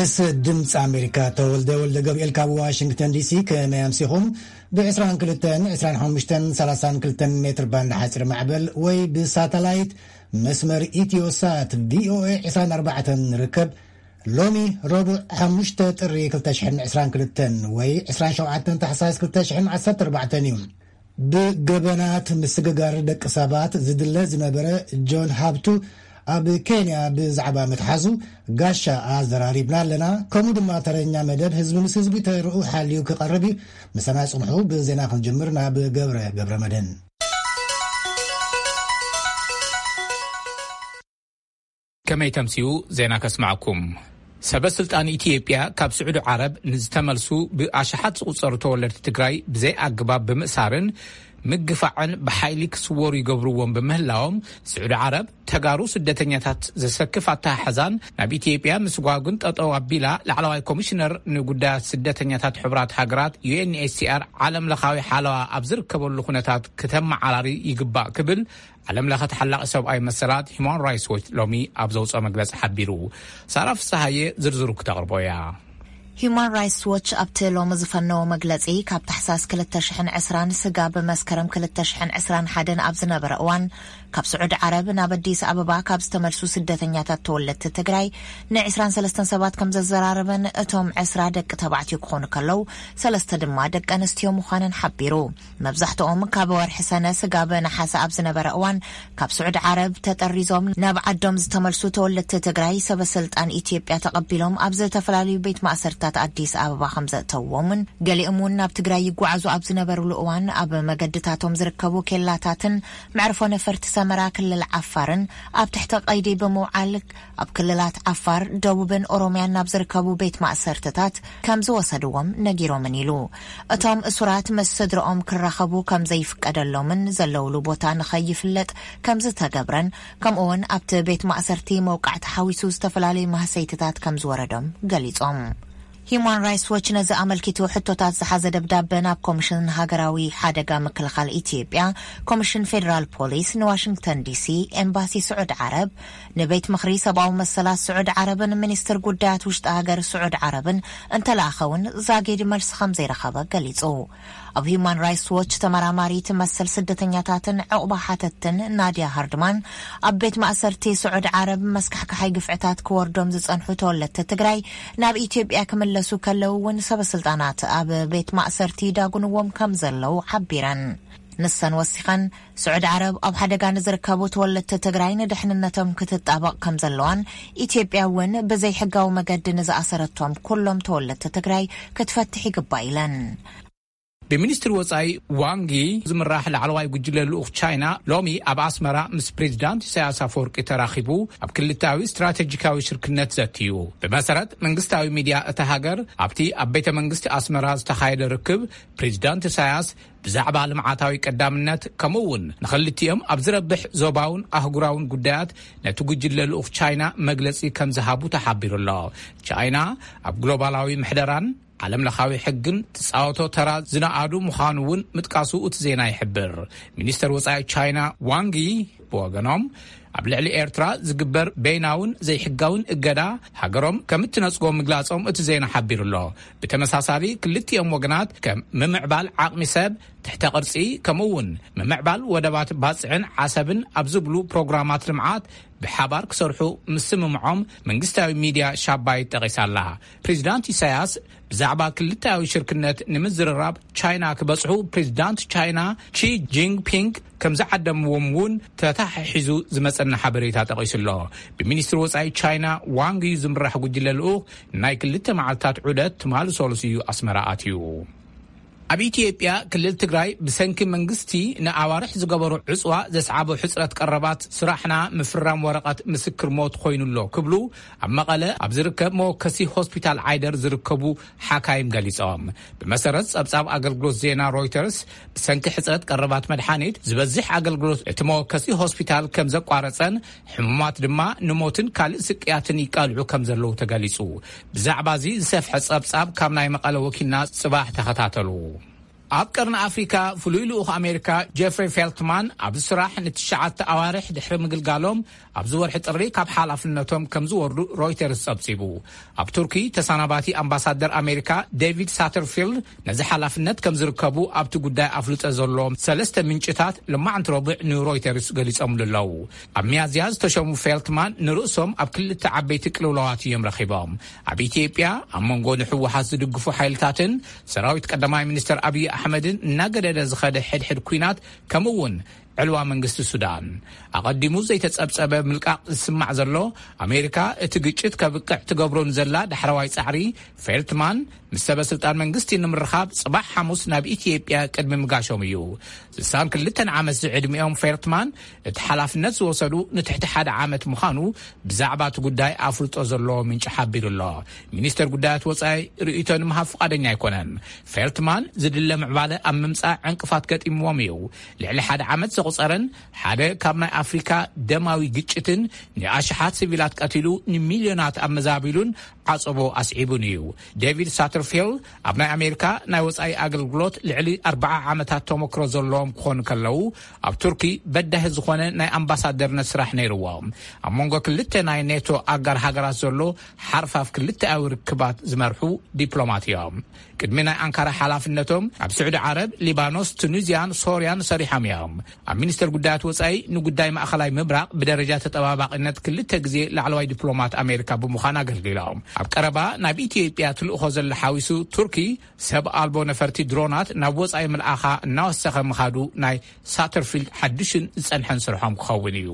ምስ ድምፂ ኣሜሪካ ተወልደ ወልደ ገብርኤል ካብ ዋሽንግተን ዲሲ። ከመይ ኣምሲኹም? ብ22፣ 25፣ 32 ሜትር ባንድ ሓፂር ማዕበል ወይ ብሳተላይት መስመር ኢትዮሳት ቪኦኤ 24 ንርከብ። ሎሚ ረቡዕ 5 ጥሪ 2022 ወይ 27 ታሕሳስ 2014 እዩ። ብገበናት ምስግጋር ደቂ ሰባት ዝድለ ዝነበረ ጆን ሃብቱ ኣብ ኬንያ ብዛዕባ ምትሓዙ ጋሻ ኣዘራሪብና ኣለና። ከምኡ ድማ ተረኛ መደብ ህዝቢ ምስ ህዝቢ ተርኡ ሓልዩ ክቐርብ እዩ። ምሳና ጽንሑ። ብዜና ክንጅምር ናብ ገብረ፣ ገብረ መድህን። ከመይ ተምስዩ ዜና ከስማዕኩም። ሰበ ስልጣን ኢትዮጵያ ካብ ስዑዲ ዓረብ ንዝተመልሱ ብኣሽሓት ዝቑጸሩ ተወለድቲ ትግራይ ብዘይ ኣግባብ ብምእሳርን ምግፋዕን ብሓይሊ ክስወሩ ይገብርዎም ብምህላዎም፣ ስዑዲ ዓረብ ተጋሩ ስደተኛታት ዘሰክፍ ኣተሓሕዛን ናብ ኢትዮጵያ ምስጓጉን ጠጠው ኣቢላ፣ ላዕለዋይ ኮሚሽነር ንጉዳያት ስደተኛታት ሕቡራት ሃገራት፣ ዩ ኤን ኤች ሲ ኣር፣ ዓለም ለኻዊ ሓለዋ ኣብ ዝርከበሉ ኩነታት ክተመዓራሪ ይግባእ ክብል ዓለም ለኸ ተሓላቒ ሰብኣዊ መሰላት ሂማን ራይትስ ዎች ሎሚ ኣብ ዘውፅኦ መግለፂ ሓቢሩ። ሳራ ፍስሃየ ዝርዝሩ ክተቕርቦ እያ። ሂማን ራይትስ ዎች ኣብቲ ሎሚ ዝፈነዎ መግለፂ፣ ካብ ታሕሳስ 2020ን ስጋብ መስከረም 2021 ኣብ ዝነበረ እዋን፣ ካብ ስዑዲ ዓረብ ናብ ኣዲስ ኣበባ ካብ ዝተመልሱ ስደተኛታት ተወለድቲ ትግራይ ን23 ሰባት ከም ዘዘራረበን፣ እቶም ዕስራ ደቂ ተባዕትዮ ክኾኑ ከለዉ፣ ሰለስተ ድማ ደቂ ኣንስትዮ ምዃነን ሓቢሩ። መብዛሕትኦም ካብ ወርሒ ሰነ ስጋብ ነሓሰ ኣብ ዝነበረ እዋን፣ ካብ ስዑዲ ዓረብ ተጠሪዞም ናብ ዓዶም ዝተመልሱ ተወለድቲ ትግራይ፣ ሰበ ስልጣን ኢትዮጵያ ተቐቢሎም ኣብ ዝተፈላለዩ ቤት ማእሰርታት ኣዲስ ኣበባ ከም ዘእተውዎምን፣ ገሊኦም እውን ናብ ትግራይ ይጓዓዙ ኣብ ዝነበሩሉ እዋን፣ ኣብ መገድታቶም ዝርከቡ ኬላታትን መዕርፎ ነፈርቲ ሰመራ ክልል ዓፋርን ኣብ ትሕቲ ቀይዲ ብምውዓል፣ ኣብ ክልላት ዓፋር፣ ደቡብን ኦሮምያን ናብ ዝርከቡ ቤት ማእሰርትታት ከም ዝወሰድዎም ነጊሮምን ኢሉ። እቶም እሱራት ምስ ስድረኦም ክራኸቡ ከም ዘይፍቀደሎምን ዘለውሉ ቦታ ንኸይፍለጥ ከም ዝተገብረን፣ ከምኡውን ኣብቲ ቤት ማእሰርቲ መውቃዕቲ ሓዊሱ ዝተፈላለዩ ማህሰይትታት ከም ዝወረዶም ገሊጾም። ሂማን ራይትስ ዎች ነዚ ኣመልኪቱ ሕቶታት ዝሓዘ ደብዳበ ናብ ኮሚሽን ሃገራዊ ሓደጋ ምክልኻል ኢትዮጵያ፣ ኮሚሽን ፌዴራል ፖሊስ፣ ንዋሽንግተን ዲሲ፣ ኤምባሲ ስዑዲ ዓረብ፣ ንቤት ምኽሪ ሰብኣዊ መሰላት ስዑዲ ዓረብን ሚኒስትር ጉዳያት ውሽጢ ሃገር ስዑዲ ዓረብን እንተለኣኸ እውን ዛጊድ መልሲ ከም ዘይረኸበ ገሊጹ። ኣብ ሂማን ራይትስ ዎች ተመራማሪት መሰል ስደተኛታትን ዕቑባ ሓተትን ናድያ ሃርድማን፣ ኣብ ቤት ማእሰርቲ ስዑዲ ዓረብ መስካሕካሓይ ግፍዕታት ክወርዶም ዝጸንሑ ተወለድቲ ትግራይ ናብ ኢትዮጵያ ክምለሱ ከለዉ እውን ሰበ ስልጣናት ኣብ ቤት ማእሰርቲ ይዳጉንዎም ከም ዘለዉ ሓቢረን። ንሰን ወሲኸን፣ ስዑዲ ዓረብ ኣብ ሓደጋ ንዝርከቡ ተወለድቲ ትግራይ ንድሕንነቶም ክትጣበቕ ከም ዘለዋን፣ ኢትዮጵያ እውን ብዘይሕጋዊ መገዲ ንዝኣሰረቶም ኩሎም ተወለድቲ ትግራይ ክትፈትሕ ይግባእ ኢለን። ብሚኒስትሪ ወጻኢ ዋንጊ ዝምራሕ ላዕለዋይ ጉጅለ ልኡኽ ቻይና ሎሚ ኣብ ኣስመራ ምስ ፕሬዚዳንት ኢሳያስ ኣፈወርቂ ተራኺቡ ኣብ ክልታዊ ስትራቴጂካዊ ሽርክነት ዘትዩ። ብመሰረት መንግስታዊ ሚድያ እታ ሃገር፣ ኣብቲ ኣብ ቤተ መንግስቲ ኣስመራ ዝተኻየደ ርክብ፣ ፕሬዚዳንት ኢሳያስ ብዛዕባ ልምዓታዊ ቀዳምነት፣ ከምኡ እውን ንኽልቲኦም ኣብ ዝረብሕ ዞባውን ኣህጉራውን ጉዳያት ነቲ ጉጅለ ልኡኽ ቻይና መግለጺ ከም ዝሃቡ ተሓቢሩ ኣሎ። ቻይና ኣብ ግሎባላዊ ምሕደራን ዓለም ለኻዊ ሕግን ትጻወቶ ተራ ዝነኣዱ ምዃኑ እውን ምጥቃሱ እቲ ዜና ይሕብር። ሚኒስተር ወጻኢ ቻይና ዋንጊ ብወገኖም፣ ኣብ ልዕሊ ኤርትራ ዝግበር በይናውን ዘይሕጋውን እገዳ ሃገሮም ከም እትነጽጎ ምግላጾም እቲ ዜና ሓቢሩ ኣሎ። ብተመሳሳሊ፣ ክልቲኦም ወገናት ከም ምምዕባል ዓቕሚ ሰብ፣ ትሕተ ቅርጺ፣ ከምኡ እውን ምምዕባል ወደባት ባጽዕን ዓሰብን ኣብ ዝብሉ ፕሮግራማት ልምዓት ብሓባር ክሰርሑ ምስምምዖም መንግስታዊ ሚድያ ሻባይ ጠቒሳ ኣላ። ፕሬዚዳንት ኢሳያስ ብዛዕባ ክልተኣዊ ሽርክነት ንምዝርራብ ቻይና ክበጽሑ ፕሬዚዳንት ቻይና ቺ ጂንፒንግ ከም ዝዓደምዎም እውን ተተሓሒዙ ዝመጸና ሓበሬታ ጠቒሱ ኣሎ። ብሚኒስትሪ ወጻኢ ቻይና ዋንግ ዩ ዝምራሕ ጉጅለ ልኡኽ ናይ ክልተ መዓልታት ዑደት ትማሊ ሰሉስ እዩ ኣስመራ ኣትዩ። ኣብ ኢትዮጵያ ክልል ትግራይ ብሰንኪ መንግስቲ ንኣዋርሕ ዝገበሮ ዕጽዋ ዘስዓቦ ሕጽረት ቀረባት ስራሕና ምፍራም ወረቐት ምስክር ሞት ኮይኑ ኣሎ ክብሉ ኣብ መቐለ ኣብ ዝርከብ መወከሲ ሆስፒታል ዓይደር ዝርከቡ ሓካይም ገሊጾም። ብመሰረት ጸብጻብ ኣገልግሎት ዜና ሮይተርስ፣ ብሰንኪ ሕጽረት ቀረባት መድሓኒት ዝበዝሕ ኣገልግሎት እቲ መወከሲ ሆስፒታል ከም ዘቋረጸን ሕሙማት ድማ ንሞትን ካልእ ስቅያትን ይቃልዑ ከም ዘለዉ ተገሊጹ። ብዛዕባ እዚ ዝሰፍሐ ጸብጻብ ካብ ናይ መቐለ ወኪልና ጽባሕ ተኸታተሉ። ኣብ ቀርኒ ኣፍሪካ ፍሉይ ልኡኽ ኣሜሪካ ጀፍሪ ፌልትማን ኣብዚ ስራሕ ንትሽዓተ ኣዋርሕ ድሕሪ ምግልጋሎም ኣብዚ ወርሒ ጥሪ ካብ ሓላፍነቶም ከም ዝወርዱ ሮይተርስ ጸብጺቡ። ኣብ ቱርኪ ተሰናባቲ ኣምባሳደር ኣሜሪካ ዴቪድ ሳተርፊልድ ነዚ ሓላፍነት ከም ዝርከቡ ኣብቲ ጉዳይ ኣፍልጦ ዘለዎም ሰለስተ ምንጭታት ልማዕንቲ ረቡዕ ንሮይተርስ ገሊጾምሉ ኣለዉ። ኣብ ሚያዝያ ዝተሸሙ ፌልትማን ንርእሶም ኣብ ክልተ ዓበይቲ ቅልውላዋት እዮም ረኺቦም። ኣብ ኢትዮጵያ ኣብ መንጎ ንሕወሓት ዝድግፉ ሓይልታትን ሰራዊት ቀዳማይ ሚኒስተር ኣብይ ኣሕመድን እናገደደ ዝኸደ ሕድሕድ ኲናት፣ ከምኡ እውን ዕልዋ መንግስቲ ሱዳን። ኣቐዲሙ ዘይተጸብጸበ ምልቃቕ ዝስማዕ ዘሎ፣ ኣሜሪካ እቲ ግጭት ከብቅዕ ትገብሮ ንዘላ ዳሕረዋይ ጻዕሪ፣ ፌልትማን ምስ ሰበ ስልጣን መንግስቲ ንምርኻብ ጽባሕ ሓሙስ ናብ ኢትዮጵያ ቅድሚ ምጋሾም እዩ። ስሳን ክልተን ዓመት ዝዕድሚኦም ፌልትማን እቲ ሓላፍነት ዝወሰዱ ንትሕቲ ሓደ ዓመት ምዃኑ ብዛዕባ እቲ ጉዳይ ኣፍልጦ ዘለዎ ምንጪ ሓቢሩ ኣሎ። ሚኒስተር ጉዳያት ወጻኢ ርእይቶ ንምሃብ ፍቓደኛ ኣይኮነን። ፌልትማን ዝድለ ምዕባለ ኣብ ምምጻእ ዕንቅፋት ገጢምዎም እዩ። ልዕሊ ሓደ ዓመት ዘቑጸረን ሓደ ካብ ናይ ኣፍሪካ ደማዊ ግጭትን ንኣሽሓት ሲቪላት ቀቲሉ ንሚልዮናት ኣመዛቢሉን ዓጸቦ ኣስዒቡን እዩ። ዴቪድ ሳተርፊልድ ኣብ ናይ ኣሜሪካ ናይ ወጻኢ ኣገልግሎት ልዕሊ ኣርብዓ ዓመታት ተመክሮ ዘለዎም ክኾኑ ከለዉ፣ ኣብ ቱርኪ በዳሂ ዝኾነ ናይ ኣምባሳደርነት ስራሕ ነይርዎም። ኣብ መንጎ ክልተ ናይ ኔቶ ኣጋር ሃገራት ዘሎ ሓርፋፍ ክልተኣዊ ርክባት ዝመርሑ ዲፕሎማት እዮም። ቅድሚ ናይ ኣንካራ ሓላፍነቶም ኣብ ስዑዲ ዓረብ፣ ሊባኖስ፣ ቱኒዝያን ሶርያን ሰሪሖም እዮም። ኣብ ሚኒስተር ጉዳያት ወጻኢ ንጉዳይ ማእኸላይ ምብራቕ ብደረጃ ተጠባባቒነት ክልተ ግዜ ላዕለዋይ ዲፕሎማት ኣሜሪካ ብምዃን ኣገልጊሎም። ኣብ ቀረባ ናብ ኢትዮጵያ ትልእኾ ዘላ ሓዊሱ ቱርኪ ሰብ ኣልቦ ነፈርቲ ድሮናት ናብ ወጻኢ ምልኣኻ እናወሰኸ ምኻዱ ናይ ሳተርፊልድ ሓድሽን ዝጸንሐን ስርሖም ክኸውን እዩ።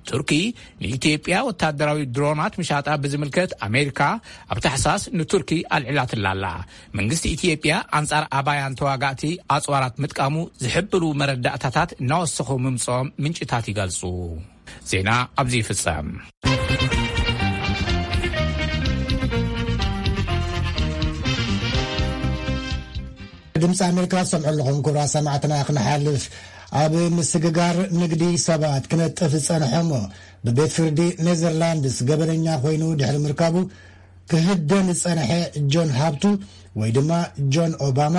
ቱርኪ ንኢትዮጵያ ወታደራዊ ድሮናት ምሻጣ ብዝምልከት ኣሜሪካ ኣብ ታሕሳስ ንቱርኪ ኣልዒላትላ ኣላ። መንግስቲ ኢትዮጵያ ኣንጻር ኣባያን ተዋጋእቲ ኣጽዋራት ምጥቃሙ ዝሕብሩ መረዳእታታት እናወሰኹ ምምጽኦም ምንጭታት ይገልጹ። ዜና ኣብዚ ይፍጸም። ድምፂ ኣሜሪካ ዝሰምዑ ኣለኹም። ክቡራት ሰማዕትና፣ ክነሓልፍ፣ ኣብ ምስግጋር ንግዲ ሰባት ክነጥፍ ዝጸንሐ እሞ ብቤት ፍርዲ ኔዘርላንድስ ገበነኛ ኮይኑ ድሕሪ ምርካቡ ክህደን ዝጸንሐ ጆን ሃብቱ ወይ ድማ ጆን ኦባማ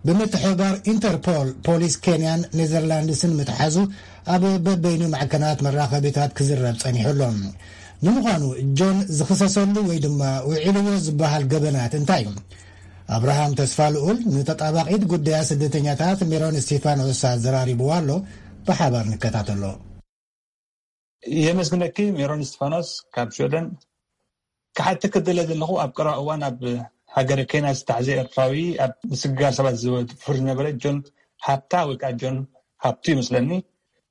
ብምትሕብባር ኢንተርፖል ፖሊስ ኬንያን ኔዘርላንድስን ምትሓዙ ኣብ በበይኑ ማዕከናት መራኸቢታት ክዝረብ ጸኒሑ ኣሎ። ንምዃኑ ጆን ዝኽሰሰሉ ወይ ድማ ውዒልዎ ዝበሃል ገበናት እንታይ እዩ? ኣብርሃም ተስፋ ልኡል ንተጣባቒት ጉዳያት ስደተኛታት ሜሮን እስቲፋኖስ ኣዘራሪብዋ ኣሎ። ብሓባር ንከታተሎ። የመስግነኪ ሜሮን እስቲፋኖስ ካብ ሽወደን። ክሓተኪ ዝደለ ዘለኹ፣ ኣብ ቀረባ እዋን ኣብ ሃገረ ኬንያ ዝተታሕዘ ኤርትራዊ፣ ኣብ ምስግጋር ሰባት ዝፍርድ ዝነበረ ጆን ሃብታ ወይ ከዓ ጆን ሃብቱ ይመስለኒ፣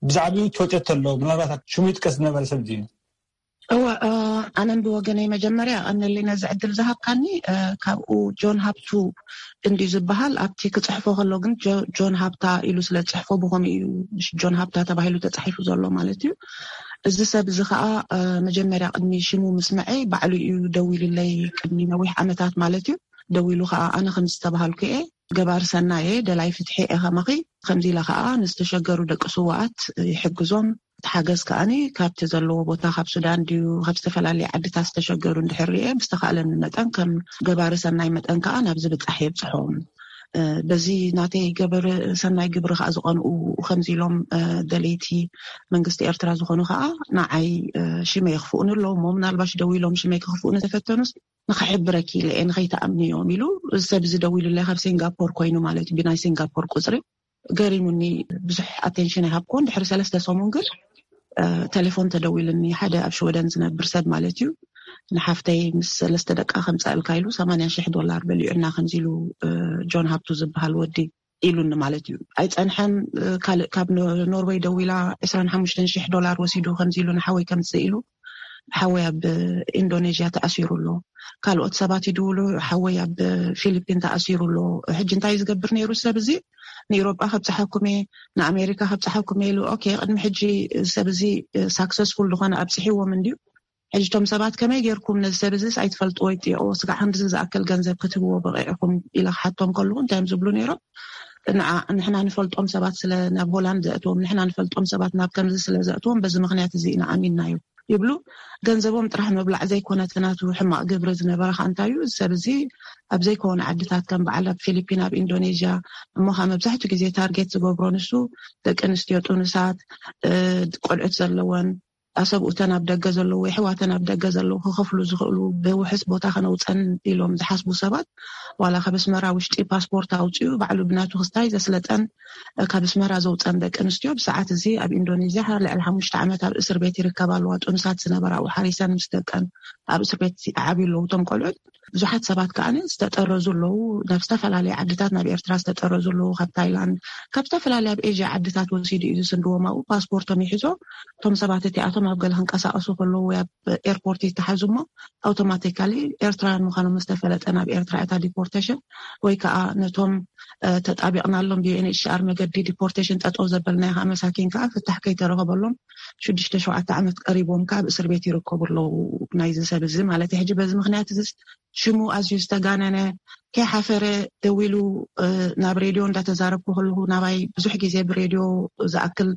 ብዛዕባኡ ትፈልጥዮ ተሎ፣ ምናልባት ሽሙ ይጥቀስ ዝነበረ ሰብ ድዩ? እወ፣ ኣነን ብወገነይ መጀመርያ ኣነሊና እዚ ዕድል ዝሃብካኒ። ካብኡ ጆን ሃብቱ እንድዩ ዝበሃል፣ ኣብቲ ክጽሕፎ ከሎ ግን ጆን ሃብታ ኢሉ ስለ ዝጽሕፎ ብኸምኡ እዩ ጆን ሃብታ ተባሂሉ ተጻሒፉ ዘሎ ማለት እዩ። እዚ ሰብ እዚ ኸኣ መጀመርያ ቅድሚ ሽሙ ምስምዐይ ባዕሉ እዩ ደዊሉለይ፣ ቅድሚ ነዊሕ ዓመታት ማለት እዩ። ደዊሉ ኸኣ ኣነ ከም ዝተባሃልኩ እየ፣ ገባር ሰናይ እየ፣ ደላይ ፍትሒ እየ ከማኺ። ከምዚ ኢለ ኸኣ ንዝተሸገሩ ደቂ ስውኣት ይሕግዞም። እቲ ሓገዝ ከኣኒ ካብቲ ዘለዎ ቦታ፣ ካብ ሱዳን ድዩ ካብ ዝተፈላለየ ዓድታት ዝተሸገሩ እንድሕር ርኤ፣ ብዝተኻእለኒ መጠን ከም ገባሪ ሰናይ መጠን ከኣ ናብ ዝብጻሕ የብጽሖም። በዚ ናተይ ገበሪ ሰናይ ግብሪ ከኣ ዝቐንኡ ከምዚ ኢሎም ደለይቲ መንግስቲ ኤርትራ ዝኾኑ ከኣ ንዓይ ሽመይ የኽፍኡኒ ኣለዉ እሞ፣ ምናልባሽ ደው ኢሎም ሽመይ ክኽፍኡኒ ተፈተኑስ ንኽሕብረኪ ኢለ እየ፣ ንኸይትኣምንዮም ኢሉ። እዚ ሰብ እዚ ደዊሉለይ ካብ ሲንጋፖር ኮይኑ ማለት እዩ፣ ብናይ ሲንጋፖር ቁፅሪ። ገሪሙኒ፣ ብዙሕ ኣቴንሽን ኣይሃብኩዎን። ድሕሪ ሰለስተ ሰሙን ግን ተሌፎን ተደዊሉኒ፣ ሓደ ኣብ ሽወደን ዝነብር ሰብ ማለት እዩ። ንሓፍተይ ምስ ሰለስተ ደቃ ከምፀእልካ ኢሉ ሰማንያ ሽሕ ዶላር በሊዑና ከምዚ ኢሉ ጆን ሃብቱ ዝበሃል ወዲ ኢሉኒ ማለት እዩ። ኣይፀንሐን፣ ካልእ ካብ ኖርወይ ደዊላ ዕስራን ሓሙሽተን ሽሕ ዶላር ወሲዱ ከምዚ ኢሉ ንሓወይ ከምፅእ ኢሉ፣ ሓወይ ኣብ ኢንዶኔዥያ ተኣሲሩ ኣሎ። ካልኦት ሰባት ይድውሉ፣ ሓወይ ኣብ ፊሊፒን ተኣሲሩ ኣሎ። ሕጂ እንታይ ዝገብር ነይሩ ሰብ እዚ? ንኢሮጳ ከብፅሓኩም እየ፣ ንኣሜሪካ ከብፅሓኩም እየ ኢሉ። ኦኬ፣ ቅድሚ ሕጂ ሰብ እዚ ሳክሰስፉል ዝኾነ ኣብፅሒዎም እንድዩ። ሕጂ እቶም ሰባት ከመይ ጌርኩም ነዚ ሰብ እዚስ ኣይትፈልጥዎ ይጥየቅዎ፣ ስጋዕ ክንድዚ ዝኣክል ገንዘብ ክትህብዎ በቂዕኩም ኢለ ክሓቶም ከለኹ እንታይ እዮም ዝብሉ ነይሮም? ንዓ-፣ ንሕና ንፈልጦም ሰባት ስለ ናብ ሆላንድ ዘእትዎም፣ ንሕና ንፈልጦም ሰባት ናብ ከምዚ ስለ ዘእትዎም በዚ ምኽንያት እዚ ኢና ኣሚንናዮ። ይብሉ። ገንዘቦም ጥራሕ ምብላዕ ዘይኮነ፣ እቲ ናቱ ሕማቕ ግብሪ ዝነበረ ከኣ እንታይ እዩ፣ እዚ ሰብ እዚ ኣብ ዘይኮነ ዓድታት ከም በዓል ኣብ ፊሊፒን፣ ኣብ ኢንዶኔዥያ፣ እሞ ከኣ መብዛሕትኡ ግዜ ታርጌት ዝገብሮ ንሱ ደቂ ኣንስትዮ ጥኑሳት፣ እ፣ ቆልዑት ዘለወን፣ ኣሰብኡተን ኣብ ደገ ዘለዉ፣ የሕዋተን ኣብ ደገ ዘለዉ ክኸፍሉ ዝኽእሉ ብውሕስ ቦታ ከነውፀን ኢሎም ዝሓስቡ ሰባት፣ ዋላ ካብ ኣስመራ ውሽጢ ፓስፖርት ኣውፂኡ ባዕሉ ብናቱ ክስታይ ዘስለጠን፣ እ፣ ካብ ኣስመራ ዘውፀን ደቂ ኣንስትዮ ብሰዓት እዚ ኣብ ኢንዶኔዥያ ልዕሊ ሓሙሽተ ዓመት ኣብ እስር ቤት ይርከባ ኣለዋ። ጥኑሳት ዝነበራ ኣብኡ ሓሪሰን ምስ ደቀን ኣብ እስር ቤት ይዓብዩ ኣለዉ እቶም ቆልዑት። ብዙሓት ሰባት ከኣ ዝተጠረዙ ኣለዉ፣ ናብ ዝተፈላለዩ ዓድታት ናብ ኤርትራ ዝተጠረዙ ኣለዉ፣ ካብ ታይላንድ፣ ካብ ዝተፈላለዩ ኣብ ኤዥያ ዓድታት ወሲዱ እዩ ዝስንድዎም። ኣብኡ ፓስፖርቶም ይሕዞ። እቶም ሰባት እቲኣቶም ኣብ ገለ ክንቀሳቀሱ ከለዉ ወይ ኣብ ኤርፖርት ይተሓዙ እሞ ኣውቶማቲካሊ ኤርትራውያን ምዃኖም ዝተፈለጠ ናብ ኤርትራ እታ ዲፖርቴሽን ወይ ከዓ ነቶም፣ እ፣ ተጣቢቕናሎም ብዩ ኤን ኤች ሲ ኣር መገዲ ዲፖርቴሽን ጠጠው ዘበልናዮ ከዓ መሳኪን ከዓ ፍታሕ ከይተረኸበሎም ሽዱሽተ ሸውዓተ ዓመት ቀሪቦም ከዓ ኣብ እስር ቤት ይርከቡ ኣለዉ። ናይዚ ሰብ እዚ ማለት እዩ። ሕጂ በዚ ምክንያት እዚ ሽሙ ኣዝዩ ዝተጋነነ፣ ከይሓፈረ ደዊሉ፣ እ፣ ናብ ሬድዮ እንዳተዛረብኩ ከለኹ ናባይ ብዙሕ ግዜ ብሬድዮ ዝኣክል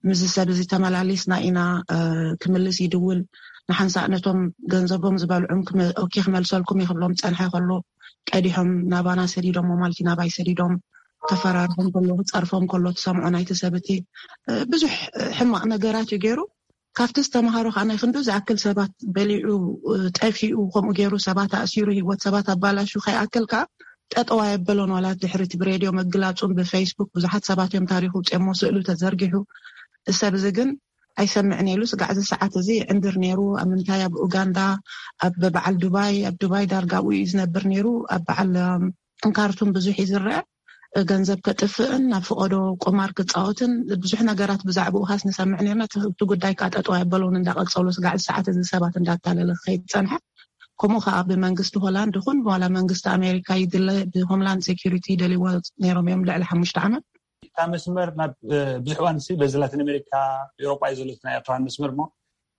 ምስዚ ሰብ እዚ ተመላሊስና ኢና፣ እ፣ ክምልስ ይድውል። ንሓንሳእ ነቶም ገንዘቦም ዝበልዑም ክመ-፣ ኦኬ ክመልሰልኩም ይኽብሎም ጸንሐ ከሎ ቀዲሖም ናባና ሰዲዶም ማለት እዩ። ናባይ ሰዲዶም ከፈራርሖም ከሎ ክጸርፎም ከሎ ትሰምዖ ናይቲ ሰብ እቲ፣ እ፣ ብዙሕ ሕማቕ ነገራት እዩ ገይሩ። ካብቲ ዝተምሃሮ ከዓ ናይ ክንዱ ዝኣክል ሰባት በሊዑ፣ እ፣ ጠፊኡ፣ ከምኡ ገይሩ ሰባት ኣእሲሩ፣ ህይወት ሰባት ኣባላሹ ከይኣክል ከዓ ጠጠው ኣየበሎን። ዋላ ድሕሪ እቲ ብሬድዮ ምግላጹን ብፌስቡክ ብዙሓት ሰባት እዮም ታሪኹ ውፅኦሞ፣ ስእሉ ተዘርጊሑ። እዚ ሰብ እዚ ግን ኣይሰምዕን ኢሉ ስጋዕ እዚ ሰዓት እዚ ይዕንድር ነይሩ። ኣብ ምንታይ? ኣብ ኡጋንዳ፣ ኣብ በዓል ዱባይ፣ ኣብ ዱባይ ዳርጋ ኣብኡ እዩ ዝነብር ነይሩ። ኣብ በዓል፣ እም፣ ካርቱም ብዙሕ እዩ ዝረአ። ገንዘብ ከጥፍእን ናብ ፍቐዶ ቁማር ክጻወትን ብዙሕ ነገራት ብዛዕባኡ ሃስ ንሰምዕ ነርና። እቲ፣ እቲ ጉዳይ ከዓ ጠጠው ኣየበሎን እንዳቐጸሎ ስጋዕ እዚ ሰዓት እዚ ሰባት እንዳታለለ ክኸይድ ጸንሐ። ከምኡ ከዓ ብመንግስቲ ሆላንድ ይኹን ዋላ መንግስቲ ኣሜሪካ ይድለ ብሆምላንድ ሴኪሪቲ ይደልይዎ ነይሮም እዮም ልዕሊ ሓሙሽተ ዓመት። እታ መስመር ናብ፣ እ፣ ብዙሕ እዋን ሲ በዚ ላቲን ኣሜሪካ፣ ኤውሮጳ እዩ ዘሎ እቲ ናይ ኤርትራውያን መስመር እሞ፣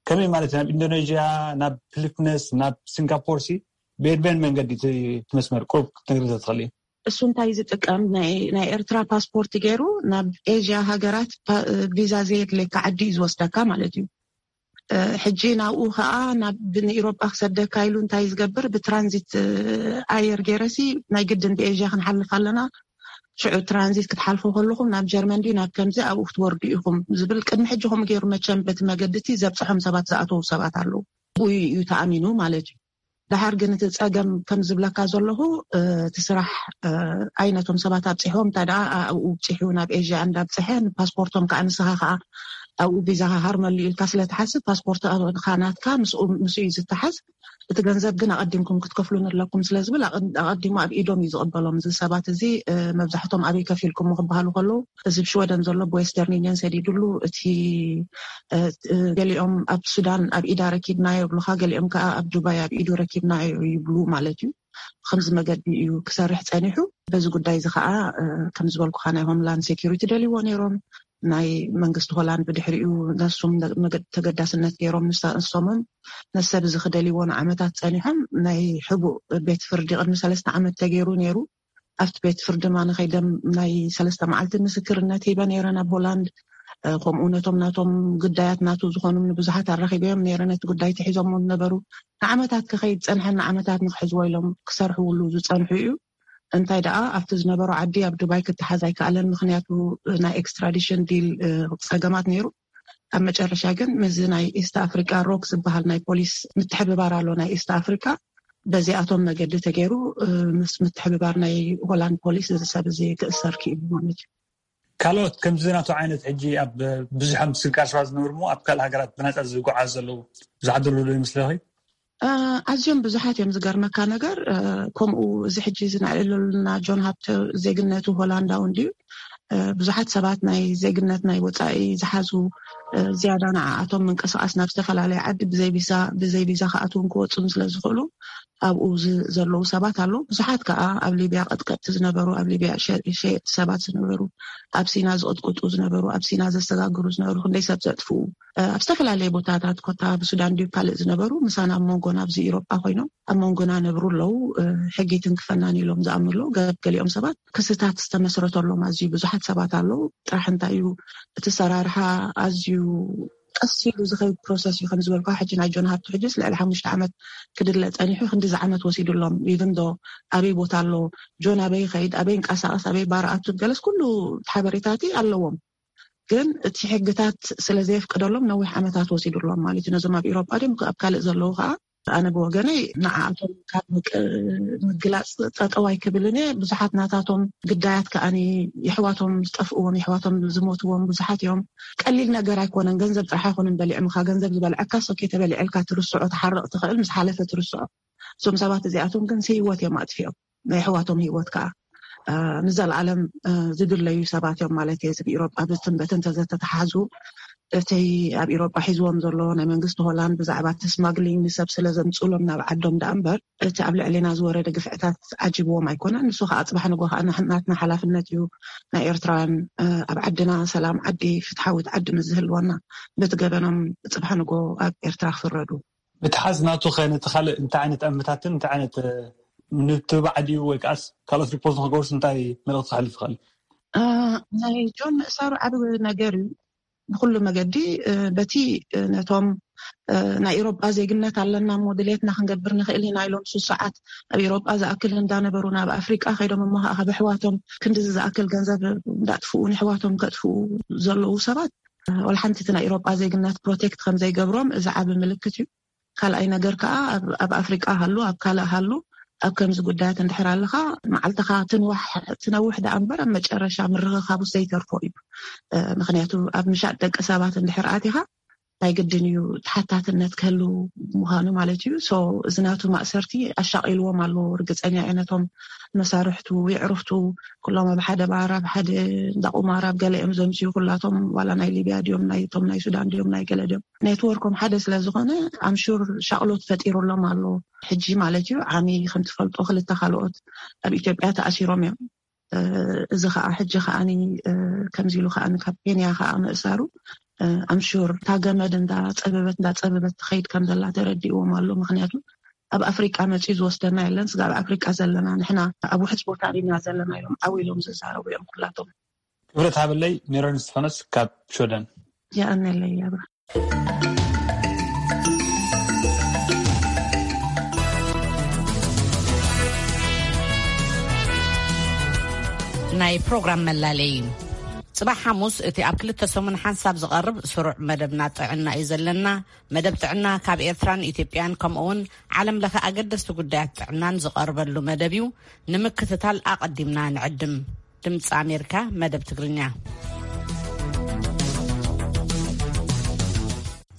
ከመይ ማለት እዩ? ናብ ኢንዶኔዥያ፣ ናብ ፊሊፒንስ፣ ናብ ሲንጋፖር ሲ ብየድበን መንገዲ እቲ፣ እቲ መስመር ቁሩብ ክትነግርኒ ተትኽእሊ? እሱ እንታይ ዝጥቀም? ናይ፣ ናይ ኤርትራ ፓስፖርት ገይሩ ናብ ኤዥያ ሃገራት ፓ-፣ ቪዛ ዘየድልየካ ዓዲ እዩ ዝወስደካ ማለት እዩ። እ፣ ሕጂ ናብኡ ኸኣ ናብ ንኢሮጳ ክሰደካ ኢሉ እንታይ ዝገብር? ብትራንዚት፣ እ፣ ኣየር ገይረሲ ናይ ግድን ብኤዥያ ክንሓልፍ ኣለና። ሽዑ ትራንዚት ክትሓልፉ ከለኹም ናብ ጀርመን ድዩ ናብ ከምዚ ኣብኡ ክትወርዱ ኢኹም ዝብል ቅድሚ ሕጂ ከምኡ ገይሩ መቸም በቲ መገዲ እቲ ዘብጽሖም ሰባት ዝኣተዉ ሰባት ኣለዉ። ብኡ እዩ ተኣሚኑ ማለት እዩ። ደሓር ግን እቲ ጸገም ከም ዝብለካ ዘለኹ፣ እ፣ እቲ ስራሕ፣ እ፣ ኣይ ነቶም ሰባት ኣብጺሖም፣ እንታይ ደኣ ኣብኡ ብጺሑ ናብ ኤዥያ እንዳብጽሐ ንፓስፖርቶም ከኣ ንስኻ ከኣ ኣብኡ ቪዛኻ ሃርመሉ ኢልካ ስለ ትሓስብ ፓስፖርትኻ ናትካ ምስኡ፣ ምስኡ እዩ ዝተሓዝ። እቲ ገንዘብ ግን ኣቐዲምኩም ክትከፍሉን ኣለኩም ስለ ዝብል ኣቐ-፣ ኣቐዲሙ ኣብ ኢዶም እዩ ዝቕበሎም። እዚ ሰባት እዚ፣ እ፣ መብዛሕቶም ኣበይ ከፊልኩም ክበሃሉ ከለዉ እዚ ኣብ ሽወደን ዘሎ ብዌስተርን ዩኒየን ሰዲዱሉ፣ እቲ፣ እ፣ እ፣ ገሊኦም ኣብ ሱዳን ኣብ ኢዳ ረኪብናዮ ይብሉኻ፣ ገሊኦም ከኣ ኣብ ዱባይ ኣብ ኢዱ ረኪብናዮ ይብሉ ማለት እዩ። ብኸምዚ መገዲ እዩ ክሰርሕ ጸኒሑ። በዚ ጉዳይ እዚ ከኣ፣ እ፣ ከም ዝበልኩኻ ናይ ሆምላንድ ሴኪሪቲ ደልይዎ ነይሮም። ናይ መንግስቲ ሆላንድ ብድሕሪኡ ነሱም መገ-፣ ተገዳስነት ገይሮም ንሳ-፣ ንሶምን ነሰብ እዚ ክደልይዎ ንዓመታት ጸኒሖም። ናይ ሕቡእ ቤት ፍርዲ ቅድሚ ሰለስተ ዓመት ተገይሩ ነይሩ። ኣብቲ ቤት ፍርዲ ድማ ንኸይደም ናይ ሰለስተ መዓልቲ ምስክርነት ሂበ ነይረ ናብ ሆላንድ። እ፣ ከምኡ ነቶም ናቶም ግዳያት ናቱ ዝኾኑ ንብዙሓት ኣራኺበዮም ነይረ። ነቲ ጉዳይ ተሒዞሞ ዝነበሩ ንዓመታት ክኸይድ ጸንሐ፣ ንዓመታት ንክሕዝዎ ኢሎም ክሰርሕውሉ ዝጸንሑ እዩ። እንታይ ደኣ ኣብቲ ዝነበሮ ዓዲ ኣብ ዱባይ ክተሓዝ ኣይከኣለን፣ ምኽንያቱ ናይ ኤክስትራዲሽን ዲል፣ እ፣ ጸገማት ነይሩ። ኣብ መጨረሻ ግን ምስዚ ናይ ኢስት ኣፍሪካ ሮክ ዝበሃል ናይ ፖሊስ ምትሕብባር ኣሎ ናይ ኢስት ኣፍሪካ፣ በዚኣቶም መገዲ ተገይሩ፣ እ፣ ምስ ምትሕብባር ናይ ሆላንድ ፖሊስ እዚ ሰብ እዚ ክእሰር ክኢሉ ማለት እዩ። ካልኦት ከምዚ ናቱ ዓይነት ሕጂ ኣብ ብዙሕ ምስግጋር ሰባት ዝነብሩ እሞ ኣብ ካልእ ሃገራት ብናጻ ዝጓዓዙ ዘለዉ ብዙሓት ዘለዉ ዶ ይመስለኺ? እ፣ ኣዝዮም ብዙሓት እዮም። ዝገርመካ ነገር፣ እ፣ ከምኡ እዚ ሕጂ እዚ ንዕልለሉና ጆን ሃብተ ዜግነቱ ሆላንዳዊ እንድዩ። እ፣ ብዙሓት ሰባት ናይ ዜግነት ናይ ወጻኢ ዝሓዙ፣ እ፣ ዝያዳ ንዓኣቶም ምንቅስቓስ ናብ ዝተፈላለየ ዓዲ ብዘይ ቪዛ፣ ብዘይ ቪዛ ክኣትውን ክወጹን ስለ ዝኽእሉ ኣብኡ ዝ-፣ ዘለዉ ሰባት ኣለዉ። ብዙሓት ከኣ ኣብ ሊብያ ቀጥቀጥቲ ዝነበሩ፣ ኣብ ሊብያ ሸ-፣ ሸየጥቲ ሰባት ዝነበሩ፣ ኣብ ሲና ዝቕጥቅጡ ዝነበሩ፣ ኣብ ሲና ዘሰጋግሩ ዝነበሩ፣ ክንደይ ሰብ ዘጥፍኡ፣ እ፣ ኣብ ዝተፈላለየ ቦታታት ኮታ ብሱዳን ድዩ ካልእ ዝነበሩ ምሳና ኣብ መንጎና ኣብዚ ኢሮጳ ኮይኖም ኣብ መንጎና ነብሩ ኣለዉ። እ፣ ሕጊ ትንክፈናን ኢሎም ዝኣምኑ ኣለዉ። ገ-፣ ገሊኦም ሰባት ክስታት ዝተመስረተሎም ኣዝዩ ብዙሓት ሰባት ኣለዉ። ጥራሕ እንታይ እዩ እቲ ሰራርሓ ኣዝዩ ቀስ ኢሉ ዝኸይድ ፕሮሰስ እዩ። ከም ዝበልኳ፣ ሕጂ ናይ ጆን ሃብቱ ሕጂስ ልዕሊ ሓሙሽተ ዓመት ክድለ ጸኒሑ፣ ክንዲዚ ዓመት ወሲዱሎም። ኢቭን ዶ ኣበይ ቦታ ኣሎ፣ ጆን ኣበይ ይኸይድ፣ ኣበይ ይንቀሳቐስ፣ ኣበይ ባር ኣቱ፣ ገለስ ኩሉ ሓበሬታቲ ኣለዎም። ግን እቲ ሕግታት ስለ ዘየፍቅደሎም ነዊሕ ዓመታት ወሲዱሎም ማለት እዩ። ነዞም ኣብ ኤውሮጳ ድዮም ኣብ ካልእ ዘለዉ ከዓ፣ ኣነ ብወገነይ ንዓኣቶም ካብ ምቅ-፣ ምግላጽ ጠጠው ኣይክብልን እየ። ብዙሓት ናታቶም ግዳያት ከኣኒ የሕዋቶም ዝጠፍእዎም፣ የሕዋቶም ዝሞትዎም ብዙሓት እዮም። ቀሊል ነገር ኣይኮነን፣ ገንዘብ ጥራሕ ኣይኮነን በሊዖምካ። ገንዘብ ዝበልዐካ ሶኬ ተበሊዐልካ ትርስዖ፣ ትሓርቕ ትኽእል፣ ምስ ሓለፈ ትርስዖ። እዞም ሰባት እዚኣቶም ግን ህይወት እዮም ኣጥፊኦም፣ ናይ ኣሕዋቶም ህይወት ከዓ፣ እ፣ ንዘለኣለም፣ እ፣ ዝድለዩ ሰባት እዮም ማለት እየ። እዚ ብኢሮጳ ብትን በትን ተዘተተሓዙ፣ እቲ ኣብ ኢሮጳ ሒዝዎም ዘሎ ናይ መንግስቲ ሆላንድ ብዛዕባ እቲ ስማግሊንግ ንሰብ ስለ ዘምፅእሎም ናብ ዓዶም ደኣ እምበር፣ እቲ ኣብ ልዕሌና ዝወረደ ግፍዕታት ዓጂብዎም ኣይኮነን። ንሱ ከዓ ፅባሕ ንጎ ከዓ ናትና ሓላፍነት እዩ። ናይ ኤርትራውያን፣ እ፣ ኣብ ዓድና ሰላም ዓዲ፣ ፍትሓዊት ዓዲ ምስ ዝህልወና፣ በቲ ገበኖም ፅባሕ ንጎ ኣብ ኤርትራ ክፍረዱ። ምትሓዝ ናቱ ኸ ነቲ ካልእ እንታይ ዓይነት ኣመታትን እንታይ ዓይነት፣ እ፣ ምትብባዕ ድዩ ወይ ከዓስ ካልኦት ሪፖርት ንኽገብርስ እንታይ መልእኽቲ ከሕልፍ ይኽእል? እ፣ ናይ ጆን ምእሳሩ ዓቢ ነገር እዩ። ብኹሉ መገዲ፣ እ፣ በቲ፣ እ፣ ነቶም፣ እ፣ ናይ ኤውሮጳ ዜግነት ኣለና እሞ ድሌትና ክንገብር ንኽእል ኢና ኢሎም ሱስ ሰዓት ኣብ ኤውሮጳ ዝኣክል እንዳነበሩ ናብ ኣፍሪቃ ከይዶም እሞ ከዓ ካብ ኣሕዋቶም ክንድዚ ዝኣክል ገንዘብ እንዳጥፍኡ ንሕዋቶም ከጥፍኡ ዘለዉ ሰባት፣ እ፣ ወላ ሓንቲ እቲ ናይ ኤውሮጳ ዜግነት ፕሮቴክት ከም ዘይገብሮም እዚ ዓቢ ምልክት እዩ። ካልኣይ ነገር ከዓ ኣብ፣ ኣብ ኣፍሪቃ ሃሉ፣ ኣብ ካልእ ሃሉ፣ ኣብ ከምዚ ጉዳያት እንድሕር ኣለኻ፣ መዓልትኻ ትንዋሕ፣ ትነውሕ ደኣ እምበር ኣብ መጨረሻ ምርኽኻቡ ዘይተርፎ እዩ። እ፣ ምኽንያቱ ኣብ ምሻጥ ደቂ ሰባት እንድሕር ኣቲኻ ናይ ግድን እዩ ተሓታትነት ክህሉ ምዃኑ ማለት እዩ። ሶ እዚ ናቱ ማእሰርቲ ኣሻቒልዎም ኣሎ። ርግጸኛ እየ ነቶም መሳርሕቱ፣ የዕሩኽቱ፣ ኩሎም ኣብ ሓደ ባር፣ ኣብ ሓደ እንዳ ቁማር፣ ኣብ ገለ እዮም ዘምስዩ። ኩላቶም ዋላ ናይ ሊብያ ድዮም፣ ናይ፣ እቶም ናይ ሱዳን ድዮም፣ ናይ ገለ ድዮም፣ ኔትወርኮም ሓደ ስለ ዝኾነ ኣምሹር ሻቕሎት ፈጢሩሎም ኣሎ። ሕጂ ማለት እዩ ዓሚ ከም ትፈልጦ ክልተ ካልኦት ኣብ ኢትዮጵያ ተኣሲሮም እዮም። እ፣ እዚ ከዓ ሕጂ ከዓኒ፣ እ፣ ከምዚ ኢሉ ከዓኒ ካብ ኬንያ ከዓ ምእሳሩ፣ እ፣ ኣምሹር እታ ገመድ እንዳጸበበት እንዳጸበበት ትኸይድ ከም ዘላ ተረዲእዎም ኣሎ። ምኽንያቱ ኣብ ኣፍሪቃ መጺኡ ዝወስደና የለን። ስጋብ ኣፍሪቃ ዘለና ንሕና ኣብ ውሕስ ቦታ ኢና ዘለና ኢሎም ዓው ኢሎም ዝዛረቡ እዮም ኩላቶም። ክብረት ሃበለይ ሜሮን እስጢፋኖስ ካብ ሽወደን። የቐንየለይ ኣብራ። ናይ ፕሮግራም መላለይ እዩ። ጽባሕ ሓሙስ እቲ ኣብ ክልተ ሰሙን ሓንሳብ ዝቐርብ ስሩዕ መደብና ጥዕና እዩ ዘለና። መደብ ጥዕና ካብ ኤርትራን ኢትዮጵያን ከምኡ እውን ዓለም ለኸ ኣገደስቲ ጉዳያት ጥዕናን ዝቐርበሉ መደብ እዩ። ንምክትታል ኣቐዲምና ንዕድም። ድምፂ ኣሜሪካ መደብ ትግርኛ።